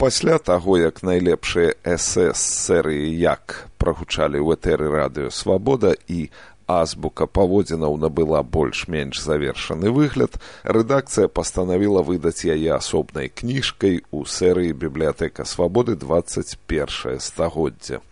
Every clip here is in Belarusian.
Пасля таго, як найлепшыя эсэ з серыі «Як» прагучалі ў этэры радыё «Свабода» і азбука паводзінаў набыла больш-менш завершаны выгляд, рэдакцыя пастанавіла выдаць яе асобнай кніжкай у серыі «Бібліятэка Свабоды 21 стагоддзе».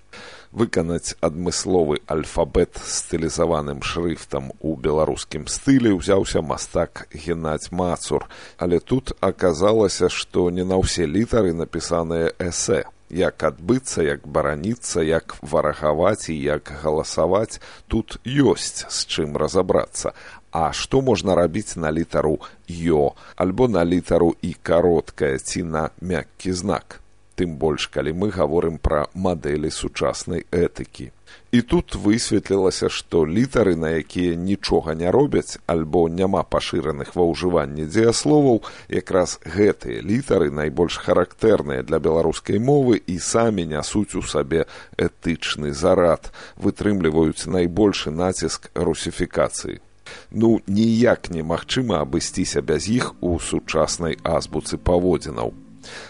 Выканаць адмысловы альфабет стылізаваным шрыфтам у беларускім стылі ўзяўся мастак Геннадзь Мацур, але тут аказалася, што не на ўсе літары напісаныя эсэ. Як адбыцца, як бараніцца, як варагаваць і як галасаваць, тут ёсць з чым разабрацца. А што можна рабіць на літару «ё» альбо на літару «і» кароткая ці на мяккі знак? Тым больш, калі мы гаворым пра мадэлі сучаснай этыкі. І тут высветлілася, што літары, на якія нічога не робяць, альбо няма пашыраных ва ўжыванні дзеясловаў, якраз гэтыя літары найбольш характэрныя для беларускай мовы і самі нясуць у сабе этычны зарад, вытрымліваюць найбольшы націск русіфікацыі. Ніяк немагчыма абысціся без іх у сучаснай азбуцы паводзінаў.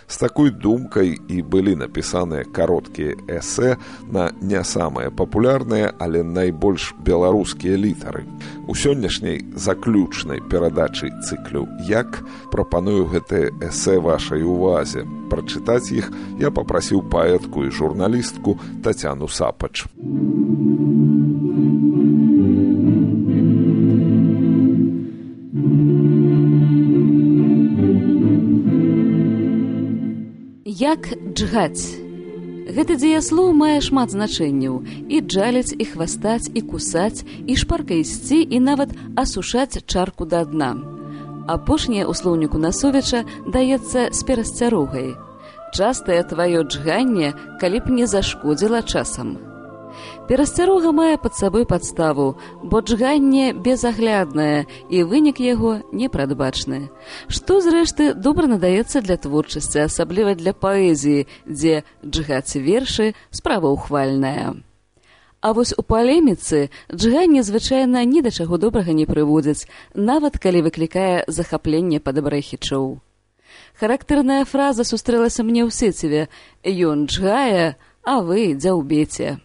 З такой думкай і былі напісаныя кароткія эсэ на не самыя папулярныя, але найбольш беларускія літары. У сённяшняй заключнай перадачы цыклю «Як» прапаную гэтыя эсэ вашай увазе. Прачытаць іх я папрасіў паэтку і журналістку Тацяну Сапач. Як джгаць. Гэты дзеяслоў мае шмат значэнняў. І джаліць, і хвастаць, і кусаць, і шпарка ісці, і нават асушаць чарку да дна. Апошняе ў слоўніку Насовіча даецца з перасцярогай. Частае тваё джганне, калі б не зашкодзіла часам. Перасцярога мае пад сабой падставу, бо джганне безагляднае і вынік яго непрадбачны. Што, зрэшты, добра надаецца для творчасці, асабліва для паэзіі, дзе джгаць вершы справа ўхвальная. А вось у палеміцы джганне звычайна ні да чаго добрага не прыводзіць, нават калі выклікае захапленне падабрэхічоў. Характэрная фраза сустрэлася мне ў сеціве «Ён джгае, а вы дзяўбеце».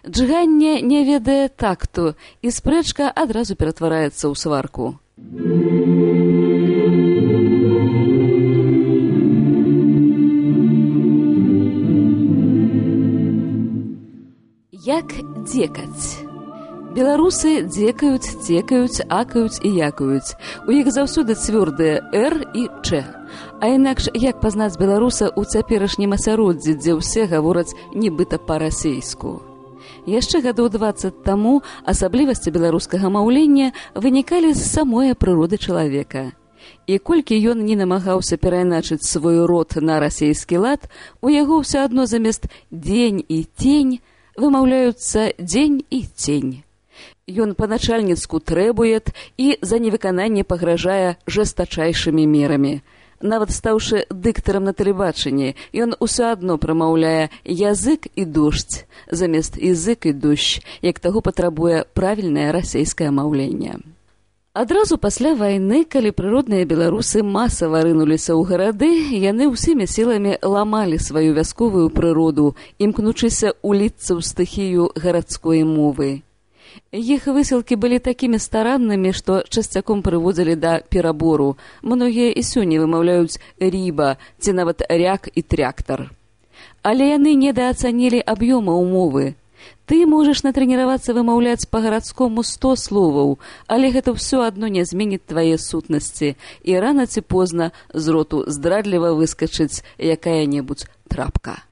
Джганне не ведае такту, і спрэчка адразу ператвараецца ў сварку. Як дзекаць. Беларусы дзекаюць, цекаюць, акаюць і якаюць. У іх заўсёды цвёрдыя «р» і «ч». А інакш як пазнаць беларуса ў цяперашнім асяроддзі, дзе ўсе гавораць нібыта па-расейску? Яшчэ гадоў 20 таму асаблівасці беларускага маўлення вынікалі з самой прыроды чалавека. І колькі ён не намагаўся перайначыць свой род на расейскі лад, у яго ўсё адно замест «дзень» і «тень» вымаўляюцца «дзень» і «цень». Ён па-начальніцку трэбуе і за невыкананне пагражае жэстачайшымі мерамі. Нават стаўшы дыктарам на тэлебачанні, ён усё адно прамаўляе «язык і дождь» замест «язык і дождь», як таго патрабуе правільнае расейскае маўленне. Адразу пасля вайны, калі прыродныя беларусы масава рынуліся ў гарады, яны ўсімі сіламі ламалі сваю вясковую прыроду, імкнучыся уліцца ў стыхію гарадской мовы. Іх высілкі былі такімі стараннымі, што часцяком прыводзілі да перабору. Многія і сёння вымаўляюць «ріба» ці нават «ряк» і «тряктар». Але яны недаацанілі аб'ёма умовы. Ты можаш натрэніравацца вымаўляць па-гарадскому 100 словаў, але гэта ўсё адно не зменіць твае сутнасці, і рана ці позна з роту здрадліва выскачыць якая-небудзь трапка.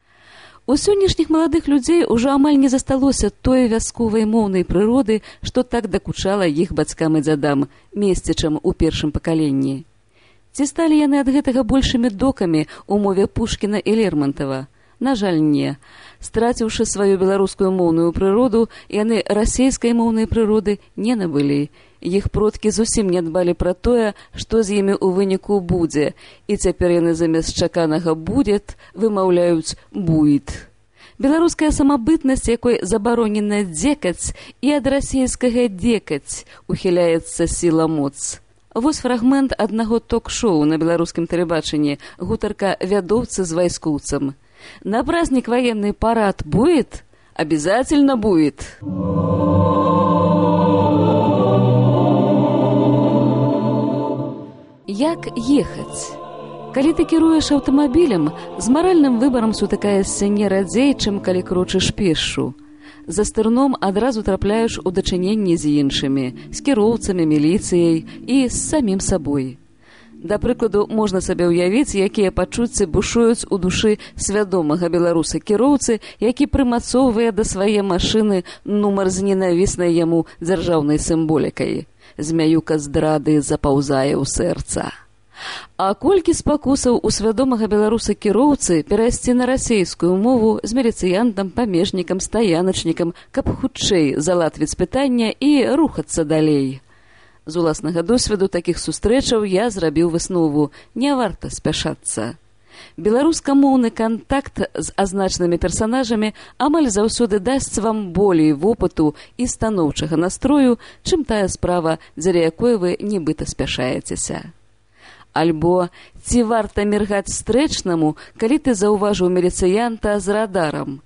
У сённяшніх маладых людзей ужо амаль не засталося той вясковай моўнай прыроды, што так дакучала іх бацькам і дзядам, месцічам у першым пакаленні. Ці сталі яны ад гэтага большымі докамі ў мове Пушкіна і Лермонтова? На жаль, не. Страціўшы сваю беларускую моўную прыроду, яны расейскай моўнай прыроды не набылі. Іх продкі зусім не дбалі пра тое, што з імі ў выніку будзе, і цяпер яны замест чаканага «будет» вымаўляюць «буйт». Беларуская самабытнасць, якой забаронена дзекаць, і ад расейскага «декаць» ухіляецца сіла моц. Вось фрагмент аднаго ток-шоу на беларускім тэлебачанні, гутарка вядоўцы з вайскоўцам. На праздник военный парад будет? Обязательно будет. Як ехаць? Калі ты кіруеш аўтамабілем, з маральным выбарам сутыкаешся не радзей, чым калі крочыш пешшу. За стырном адразу трапляеш у дачыненні з іншымі, з кіроўцамі, міліцыяй і з самім сабой. Да прыкладу, можна сабе ўявіць, якія пачуцці бушуюць у душы свядомага беларуса-кіроўцы, які прымацоўвае да свае машыны нумар з ненавіснай яму дзяржаўнай сімволікай. Змяюка здрады запаўзае ў сэрца. А колькі спакусаў у свядомага беларуса-кіроўцы перайсці на расейскую мову з міліцыянтам, памежнікам, стаяначнікам, каб хутчэй залатвіць пытання і рухацца далей. З уласнага досведу такіх сустрэчаў я зрабіў выснову: не варта спяшацца. Беларускамоўны кантакт з азначанымі персанажамі амаль заўсёды дасць вам болей вопыту і станоўчага настрою, чым тая справа, дзеля якой вы нібыта спяшаецеся. Альбо ці варта міргаць стрэчнаму, калі ты заўважыў міліцыянта з радарам?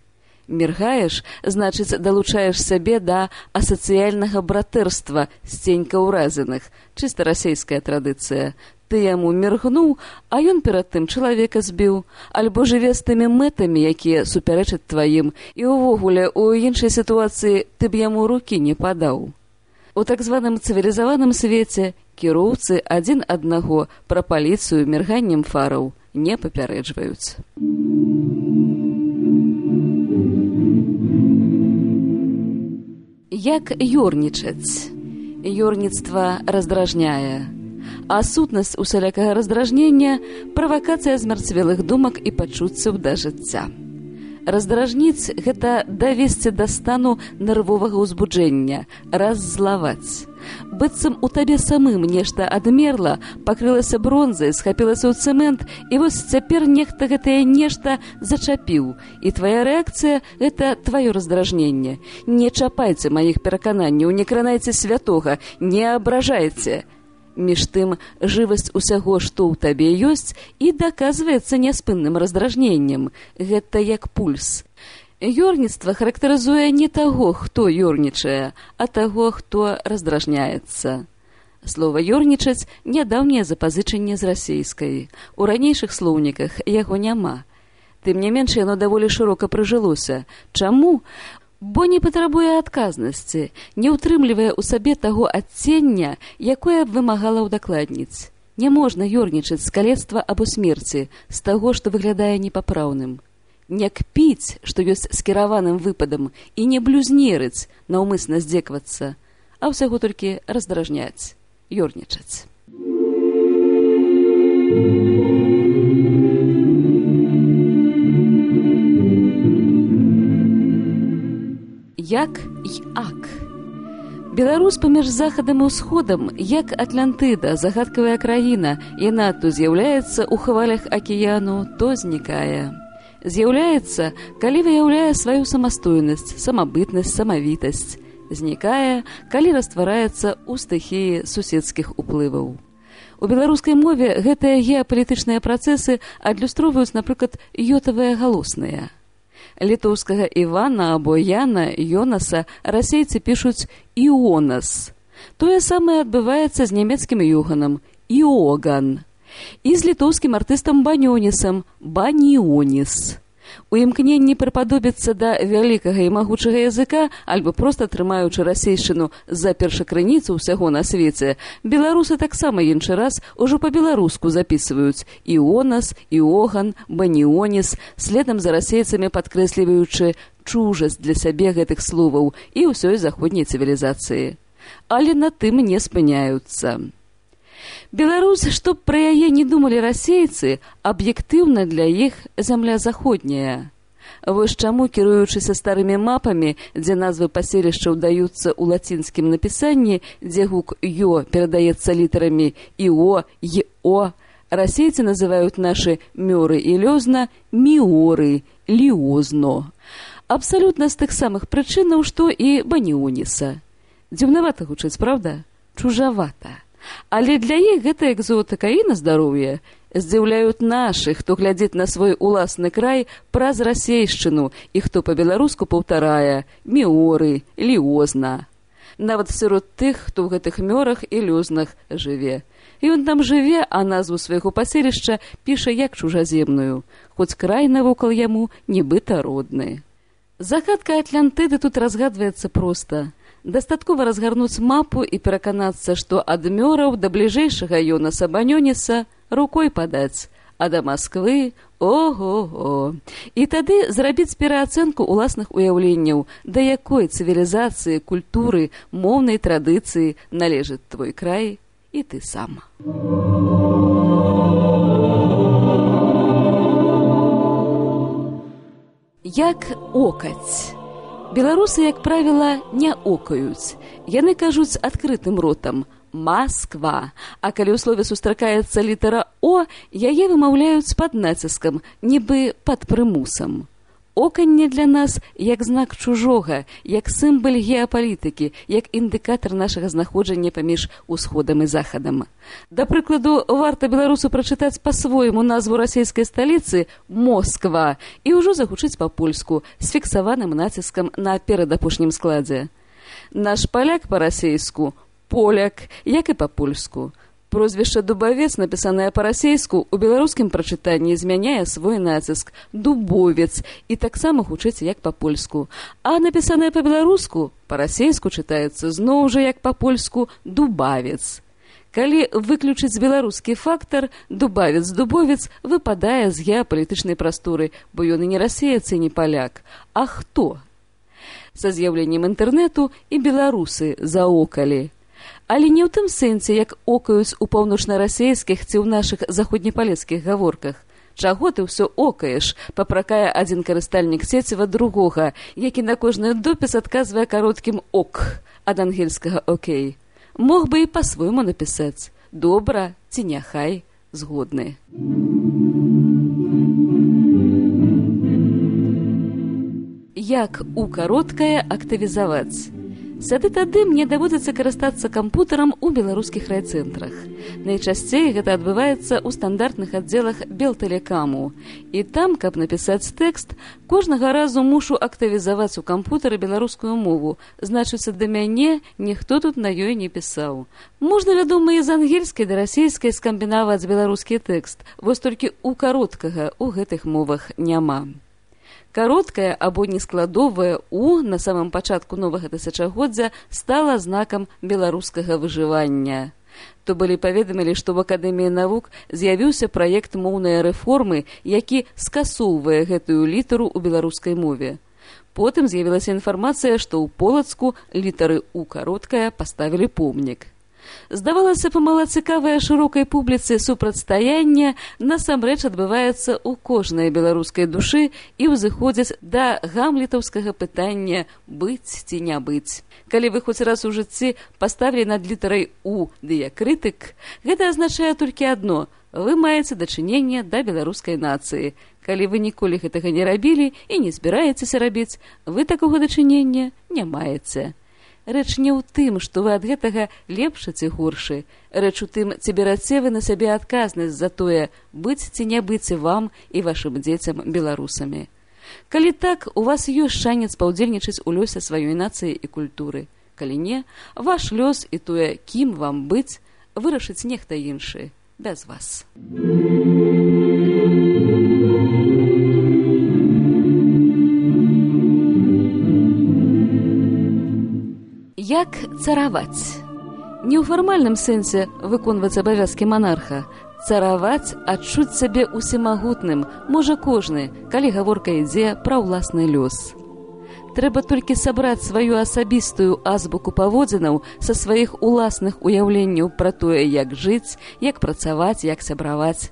Міргаеш, значыць, далучаеш сябе да асацыяльнага братэрства сценька ўразаных, чыста расейская традыцыя. Ты яму міргнуў, а ён перад тым чалавека збіў, альбо жыве з тымі мэтамі, якія супярэчаць тваім, і ўвогуле у іншай сітуацыі ты б яму рукі не падаў. У так званым цывілізаваным свеце кіроўцы адзін аднаго пра паліцыю мірганнем фараў не папярэджваюць. Як ёрнічаць? Ёрніцтва раздражняе. А сутнасць усялякага раздражнення – правакацыя змярцвелых думак і пачуццяў да жыцця. Раздражніць – гэта давесці да стану нервовага ўзбуджэння, раззлаваць. Быццам у табе самым нешта адмерла, пакрылася бронзай, схапілася ў цэмент, і вось цяпер нехта гэтае нешта зачапіў. І твая рэакцыя – гэта тваё раздражненне. Не чапайце маіх перакананняў, не кранайце святога, не абражайце. Між тым, жывасць усяго, што ў табе ёсць, і даказваецца няспынным раздражненнем. Гэта як пульс. Ёрніцтва характарызуе не таго, хто ёрнічае, а таго, хто раздражняецца. Слова «ёрнічаць» – нядаўняе запазычанне з расейскай. У ранейшых слоўніках яго няма. Тым не менш, яно даволі шырока прыжылося. Чаму? Бо не патрабуе адказнасці, не ўтрымлівае ў сабе таго адцення, якое б вымагала ўдакладніць. Не можна ёрнічаць з калецтва або смерці, з таго, што выглядае непапраўным. Не кпіць, што ёсць скіраваным выпадам, і не блюзнерыць, наўмысна здзеквацца, а ўсяго толькі раздражняць, ёрнічаць. Як і ак. Беларусь паміж захадам і ўсходам, як Атлантыда, загадкавая краіна, яна то з'яўляецца ў хвалях акіяну, то знікае. З'яўляецца, калі выяўляе сваю самастойнасць, самабытнасць, самавітасць. Знікае, калі раствараецца ў стыхіі суседскіх уплываў. У беларускай мове гэтыя геапалітычныя працэсы адлюстроўваюць, напрыклад, ётавыя галосныя. Літоўскага Івана або Яна, Йонаса расейцы пішуць «Іонас». Тое самае адбываецца з нямецкім Йоганам – «Іоган». І з літоўскім артыстам Банёнісам – «Баніоніс». У імкненні прыпадобіцца да вялікага і магучага языка, альбо проста трымаючы расейшчыну за першакрыніцу ўсяго на свеце, беларусы таксама іншы раз ужо па-беларуску запісваюць «Іонас», «Іоган», «Баніоніс», следам за расейцамі падкрэсліваючы чужасць для сябе гэтых словаў і ўсёй заходняй цывілізацыі. Але на тым не спыняюцца. Беларусь, што пра яе не думалі расейцы, аб'ектыўна для іх зямля заходняя. Вось чаму, кіруючыся старымі мапамі, дзе назвы паселішчаў даюцца ў лацінскім напісанні, дзе гук «ё» перадаецца літарамі «іо», «ё», расейцы называюць нашы мёры і лёзна «міоры», «ліозно». Абсалютна з тых самых прычынаў, што і Баніоніса. Дзіўнавата гучыць, правда? Чужавата. Але для іх гэта экзотыка і на здароўе. Здзіўляюць нашых, хто глядзіць на свой уласны край праз расейшчыну і хто па-беларуску паўтарае міоры, ліозна. Нават сярод тых, хто ў гэтых мёрах і лёзнах жыве. Ён там жыве, а назву свайго паселішча піша як чужаземную, хоць край навокал яму нібыта родны. Загадка Атлантыды тут разгадваецца проста. Дастаткова разгарнуць мапу і пераканацца, што ад мёраў да бліжэйшага ёна Сабанёніса рукой падаць, а да Масквы ого-го. І тады зрабіць пераацэнку ўласных уяўленняў, да якой цывілізацыі, культуры, моўнай традыцыі належыць твой край і ты сам. Як окаць. Беларусы, як правіла, не окаюць. Яны кажуць адкрытым ротам «Масква», а калі ў слове сустракаецца літара «О», яе вымаўляюць пад націскам, нібы пад прымусам. Оканне для нас як знак чужога, як сімвал геапалітыкі, як індыкатар нашага знаходжання паміж усходам і захадам. Да прыкладу, варта беларусу прачытаць па-свойму назву расійскай сталіцы «Москва» і ўжо загучыць па-польску з фіксаваным націскам на перадапошнім складзе. Наш паляк па-расейску «Поляк», як і па-польску. Прозвішча Дубавец, напісанае па-расейску, у беларускім прачытанні змяняе свой націск «Дубовец» і таксама гучыць як па-польску. А напісанае па-беларуску, па-расейску чытаецца зноў жа як па-польску «Дубавец». Калі выключыць беларускі фактар, Дубавец-Дубовец выпадае з геапалітычнай прасторы, бо ён і не расеец і не паляк. А хто? Са з'яўленнем інтэрнэту і беларусы заокалі. Але не ў тым сэнсе, як окаюць у паўночна-расейскіх ці ў нашых заходнепалецкіх гаворках. Чаго ты ўсё окаеш, папракае адзін карыстальнік сеціва другога, які на кожны допіс адказвае кароткім «ок» ад ангельскага «окей». Мог бы і па-свойму напісаць «добра» ці «няхай» згодны. Як у кароткае актывізаваць? Сады тады мне даводзіцца карыстацца кампутарам у беларускіх райцэнтрах. Найчасцей гэта адбываецца ў стандартных аддзелах Белтэлекаму. І там, каб напісаць тэкст, кожнага разу мушу актывізаваць у кампутары беларускую мову. Значыцца, да мяне ніхто тут на ёй не пісаў. Можна, вядома, і з ангельскай да расейскай скамбінаваць беларускі тэкст, вось толькі у кароткага ў гэтых мовах няма. Кароткае або нескладовае «у» на самым пачатку новага тысячагоддзя стала знакам беларускага выжывання. То былі паведамілі, што ў Акадэміі навук з'явіўся праект моўнай рэформы, які скасоўвае гэтую літару ў беларускай мове. Потым з'явілася інфармацыя, што ў Полацку літары «у» кароткая паставілі помнік. Здавалася б, малацікавае шырокай публіцы супрацьстаянне насамрэч адбываецца ў кожнай беларускай душы і ўзыходзіць да гамлетаўскага пытання «быць ці не быць». Калі вы хоць раз у жыцці паставілі над літарай «у» дыякрытык, гэта азначае толькі адно – вы маеце дачыненне да беларускай нацыі. Калі вы ніколі гэтага не рабілі і не збіраецеся рабіць, вы такога дачынення не маеце. Рэч не ў тым, што вы ад гэтага лепшы ці горшы. Рэч у тым, ці бераце вы на сябе адказнасць за тое, быць ці не быць вам і вашым дзецям беларусамі. Калі так, у вас ёсць шанец паўдзельнічаць у лёсе сваёй нацыі і культуры. Калі не, ваш лёс і тое, кім вам быць, вырашыць нехта іншы, без вас. Як цараваць? Не ў фармальным сэнсе выконваць абавязкі манарха. Цараваць, адчуць сябе усімагутным, можа кожны, калі гаворка ідзе пра ўласны лёс. Трэба толькі сабраць сваю асабістую азбуку паводзінаў са сваіх уласных уяўленняў пра тое, як жыць, як працаваць, як сябраваць.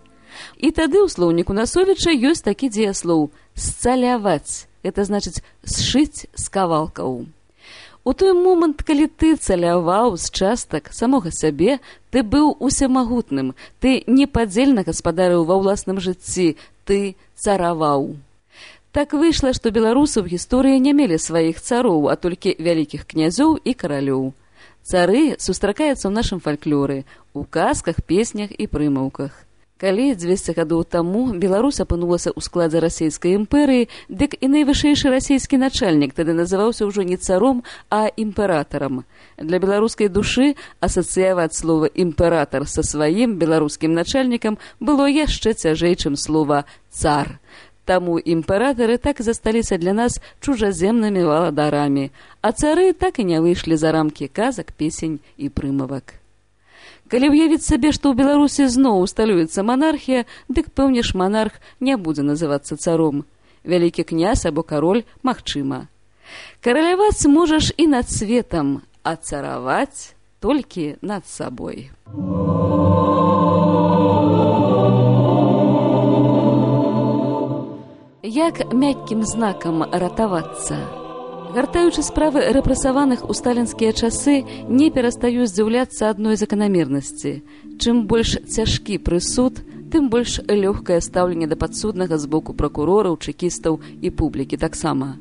І тады ў слоўніку Насовіча ёсць такі дзеяслоў «сцаляваць». Гэта значыць «сшыць з кавалкаў». У той момант, калі ты цаляваў з частак самога сябе, ты быў усемагутным, ты непадзельна гаспадарыў ва ўласным жыцці, ты цараваў. Так выйшла, што беларусы ў гісторыі не мелі сваіх цароў, а толькі вялікіх князёў і каралёў. Цары сустракаюцца ў нашым фальклоры, у казках, песнях і прымаўках. Калі 200 гадоў таму Беларусь апынулася ў складзе расійскай імперыі, дык і найвышэйшы расійскі начальнік тады называўся ўжо не царом, а імператарам. Для беларускай душы асацыяваць слова «імператар» са сваім беларускім начальнікам было яшчэ цяжэй, чым слова «цар». Таму імператары так і засталіся для нас чужаземнымі валадарамі, а цары так і не выйшлі за рамкі казак, песень і прымавак. Калі ўявіць сабе, што ў Беларусі зноў усталюецца манархія, дык пэўне ж монарх не будзе называцца царом. Вялікі князь або кароль магчыма. Караляваць можаш і над светам, а цараваць толькі над сабой. Як мяккім знакам ратавацца? Гартаючы справы рэпрэсаваных у сталінскія часы, не перастаю здзіўляцца адной заканамернасці. Чым больш цяжкі прысуд, тым больш лёгкае стаўленне да падсуднага з боку пракурораў, чэкістаў і публікі таксама.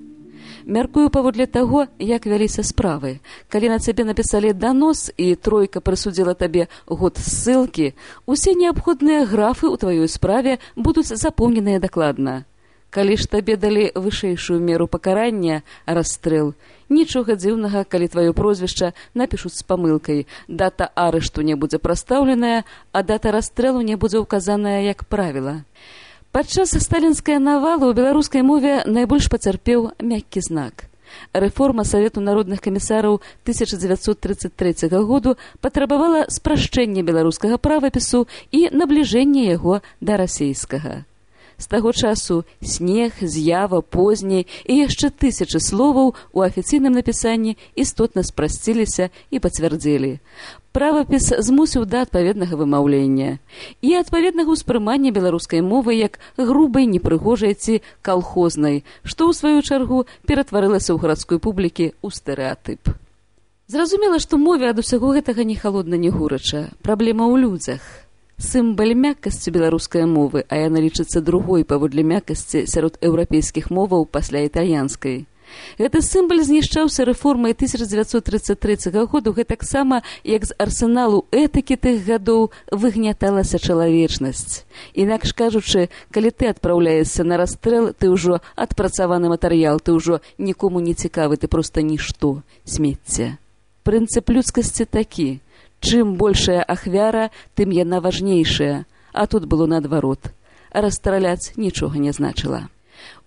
Мяркую паводле таго, як вяліся справы. Калі на цябе напісалі данос і тройка прысудзіла табе год ссылкі, усе неабходныя графы ў тваёй справе будуць запоўненыя дакладна. Калі ж табе далі вышэйшую меру пакарання, расстрэл, нічога дзіўнага, калі тваё прозвішча напішуць з памылкай, дата арышту не будзе прастаўленая, а дата расстрэлу не будзе ўказаная як правіла. Падчас сталінскай навалы ў беларускай мове найбольш пацярпеў мяккі знак. Рэформа Савету народных камісараў 1933 году патрабавала спрашчэння беларускага правапісу і набліжэння яго да расейскага. З таго часу снег, з'ява, позні і яшчэ тысячы словаў у афіцыйным напісанні істотна спрасціліся і пацвярдзелі. Правапіс змусіў да адпаведнага вымаўлення і адпаведнага ўспрымання беларускай мовы як грубай, непрыгожай ці калхознай, што ў сваю чаргу ператварылася ў гарадской публікі ў стэрэатып. Зразумела, што мове ад усяго гэтага ні халодна, ні горача. Праблема ў людзях. Сімбаль мяккасці беларускай мовы, а яна лічыцца другой паводле мяккасці сярод еўрапейскіх моваў пасля італьянскай. Гэты сімбаль знішчаўся рэформай 1933 году гэтаксама, як з арсеналу этыкі тых гадоў выгняталася чалавечнасць. Інакш кажучы, калі ты адпраўляешся на расстрэл, ты ўжо адпрацаваны матэрыял, ты ўжо нікому не цікавы, ты проста нішто, смецце. Прынцып людскасці такі. Чым большая ахвяра, тым яна важнейшая, а тут было наадварот. Расстраляць нічога не значыла.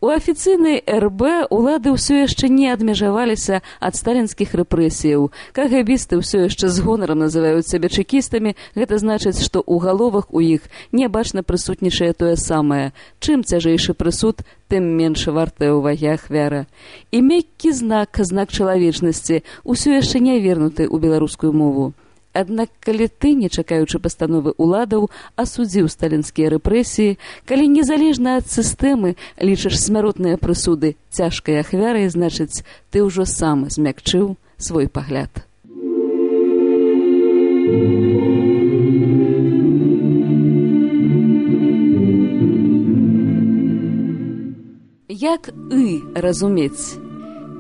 У афіцыйнай РБ улады ўсё яшчэ не адмежаваліся ад сталінскіх рэпрэсіяў. КГБісты ўсё яшчэ з гонарам называюць сябе чэкістамі, гэта значыць, што ў галовах у іх нябачна прысутнічае тое самае. Чым цяжэйшы прысуд, тым менш вартая ўвагі ахвяра. І мяккі знак, знак чалавечнасці, ўсё яшчэ не вернуты ў беларускую мову. Аднак, калі ты, не чакаючы пастановы уладаў, асудзіў сталінскія рэпрэсіі, калі незалежна ад сістэмы лічыш смяротныя прысуды цяжкай ахвярай, значыць, ты ўжо сам змякчыў свой пагляд. Як «ы» разумець?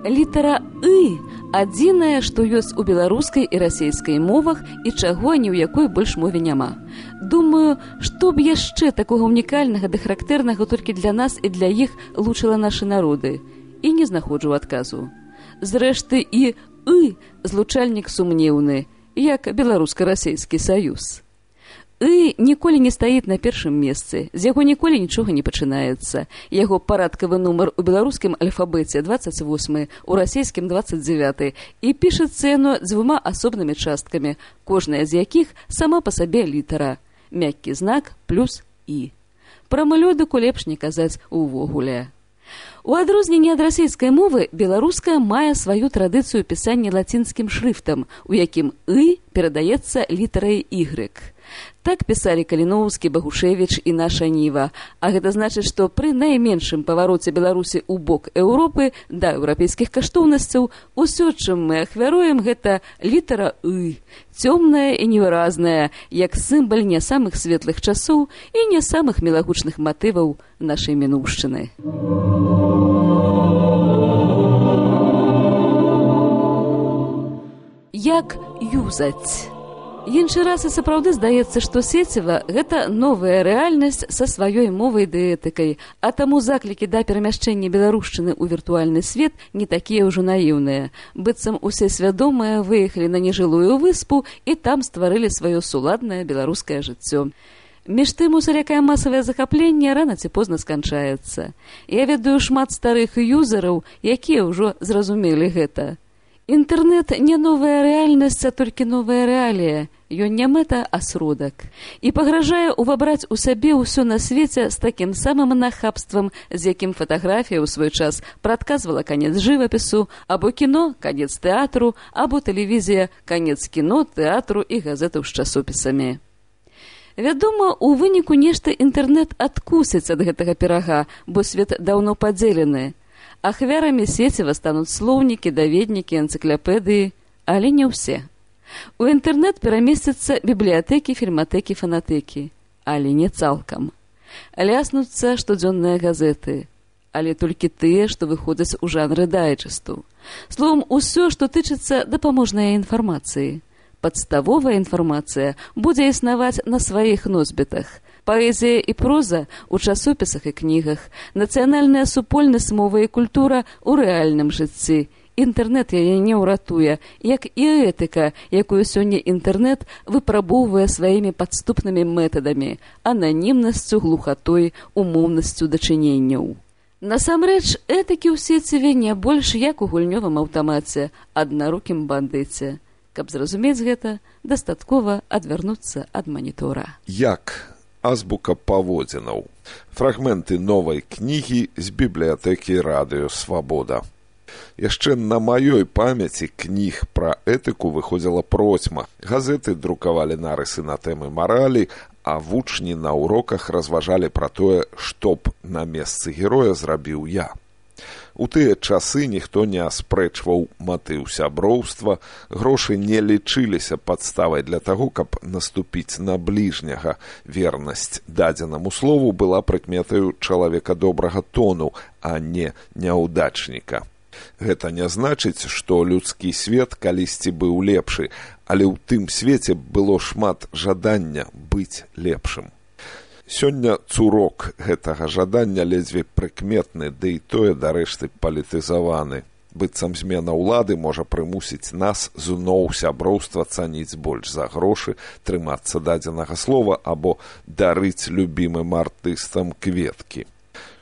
Літара «ы» адзінае, што ёсць у беларускай і расейскай мовах і чаго ні ў якой больш мове няма. Думаю, што б яшчэ такога унікальнага ды характэрнага толькі для нас і для іх лучыла нашы народы. І не знаходжу адказу. Зрэшты, і «ы» злучальнік сумнеўны, як беларуска-расейскі саюз. «ы» ніколі не стаіць на першым месцы, з яго ніколі нічога не пачынаецца. Яго парадкавы нумар у беларускім альфабеце 28, у расейскім 29, і пішацца яно дзвюма асобнымі часткамі, кожная з якіх сама па сабе літара. Мяккі знак плюс «і». Пра мелодыку лепш не казаць увогуле. У адрозненне ад расейскай мовы, беларуская мае сваю традыцыю пісання лацінскім шрыфтам, у якім «ы» перадаецца літарай «y». Так пісалі Каліноўскі, Багушевіч і наша Ніва. А гэта значыць, што пры найменшым павароце Беларусі ў бок Еўропы да еўрапейскіх каштоўнасцяў усё, чым мы ахвяруем, гэта літара «ы», цёмная і невыразная, як сімбаль не самых светлых часоў і не самых мілагучных матываў нашай мінуўшчыны. Я як юзаць. Іншы раз і сапраўды здаецца, што сеціва – гэта новая рэальнасць са сваёй мовай ды этыкай, а таму заклікі да перамяшчэння беларушчыны ў віртуальны свет не такія ўжо наіўныя. Быццам усе свядомыя выехалі на нежылую выспу і там стварылі сваё суладнае беларускае жыццё. Між тым, усялякае масавае захапленне рана ці позна сканчаецца. Я ведаю шмат старых юзераў, якія ўжо зразумелі гэта. Інтэрнэт не новая рэальнасць, а толькі новая рэалія. Ён не мэта, а сродак. І пагражае увабраць у сабе ўсё на свеце з такім самым нахабствам, з якім фатаграфія ў свой час прадказвала канец жывапісу, або кіно – канец тэатру, або тэлевізія – канец кіно, тэатру і газетаў з часопісамі. Вядома, у выніку нешта інтэрнэт адкусіць ад гэтага пірага, бо свет даўно падзелены. Ахвярамі сеціва стануць слоўнікі, даведнікі, энцыклапедыі, але не ўсе. У інтэрнэт перамесцяцца бібліятэкі, фільматэкі, фанатэкі, але не цалкам. Ляснуцца штодзённыя газеты, але толькі тыя, што выходзяць у жанры дайджэсту. Словам, усё, што тычыцца дапаможнай інфармацыі. Падставовая інфармацыя будзе існаваць на сваіх носьбітах. Паэзія і проза ў часопісах і кнігах, нацыянальная супольнасць, мова і культура ў рэальным жыцці. Інтэрнэт яе не ўратуе, як і этыка, якую сёння інтэрнэт выпрабоўвае сваімі падступнымі метадамі, ананімнасцю, глухатой, умоўнасцю дачыненняў. Насамрэч, этыкі ў сеціве не больш як у гульнёвым аўтамаце, аднарукім бандыце. Каб зразумець гэта, дастаткова адвярнуцца ад манітора. Як? Азбука паводзінаў. Фрагменты новай кнігі з бібліятэкі радыё «Свабода». Яшчэ на маёй памяці кніг пра этыку выходзіла процьма. Газеты друкавалі нарысы на тэмы маралі, а вучні на уроках разважалі пра тое, што б на месцы героя зрабіў я. У тыя часы ніхто не аспрэчваў матыў сяброўства, грошы не лічыліся падставай для таго, каб наступіць на бліжняга. Вернасць дадзенаму слову была прыкметаю чалавека добрага тону, а не няўдачніка. Гэта не значыць, што людскі свет калісьці быў лепшы, але ў тым свеце было шмат жадання быць лепшым. Сёння цурок гэтага жадання ледзьве прыкметны, ды і тое дарэшты палітызаваны. Быццам змена ўлады можа прымусіць нас зноў сяброўства цаніць больш за грошы, трымацца дадзенага слова або дарыць любімым артыстам кветкі.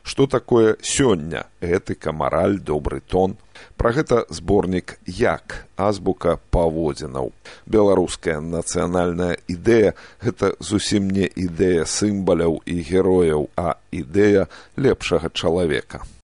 Што такое сёння? Этыка, мараль, добры тон. Пра гэта зборнік «Як? Азбука паводзінаў». Беларуская нацыянальная ідэя – гэта зусім не ідэя сімваляў і герояў, а ідэя лепшага чалавека.